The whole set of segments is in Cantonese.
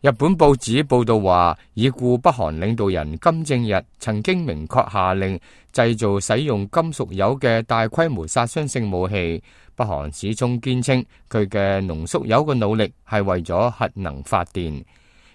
日本報紙報道話，已故北韓領導人金正日曾經明確下令製造使用金屬鈾嘅大規模殺傷性武器。北韓始終堅稱佢嘅濃縮鈾嘅努力係為咗核能發電。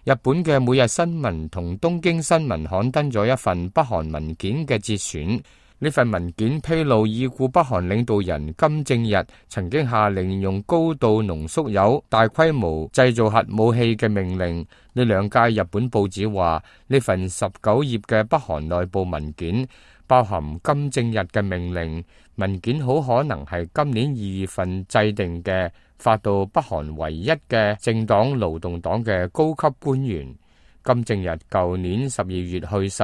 日本嘅每日新聞同東京新聞刊登咗一份北韓文件嘅節選。呢份文件披露已故北韓領導人金正日曾經下令用高度濃縮鈾大規模製造核武器嘅命令。呢兩屆日本報紙話，呢份19頁嘅北韓內部文件包含金正日嘅命令。文件好可能係今年2月份制定嘅，發到北韓唯一嘅政黨勞動黨嘅高級官員。金正日舊年12月去世，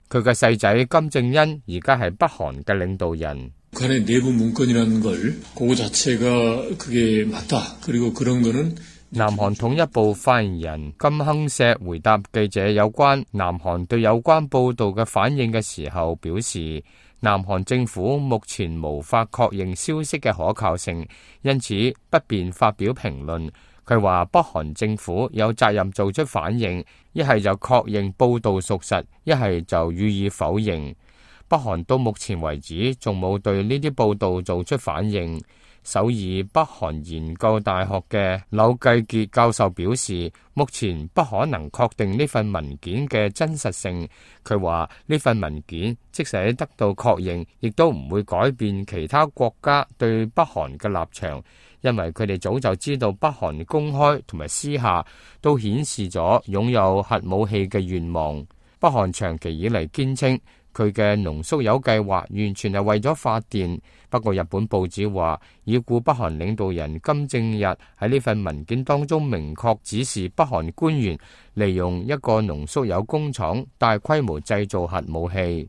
佢嘅細仔金正恩而家係北韓嘅領導人。북한의 내부 문건이라는 걸 그거 자체가 그게 맞다. 그리고 그런 거는南韓統一部發言人金亨碩回答記者有關南韓對有關報道嘅反應嘅時候表示，南韓政府目前無法確認消息嘅可靠性，因此不便發表評論。佢話北韓政府有責任做出反應，一係就確認報道屬實，一係就予以否認。北韓到目前為止仲冇對呢啲報道做出反應。首爾北韓研究大學嘅柳繼傑教授表示，目前不可能確定呢份文件嘅真實性。佢話呢份文件即使得到確認，亦都唔會改變其他國家對北韓嘅立場，因為佢哋早就知道北韓公開同埋私下都顯示咗擁有核武器嘅願望。北韓長期以嚟堅稱佢嘅濃縮鈾計劃完全係為咗發電。不過日本報紙話，已故北韓領導人金正日喺呢份文件當中明確指示北韓官員利用一個濃縮鈾工廠大規模製造核武器。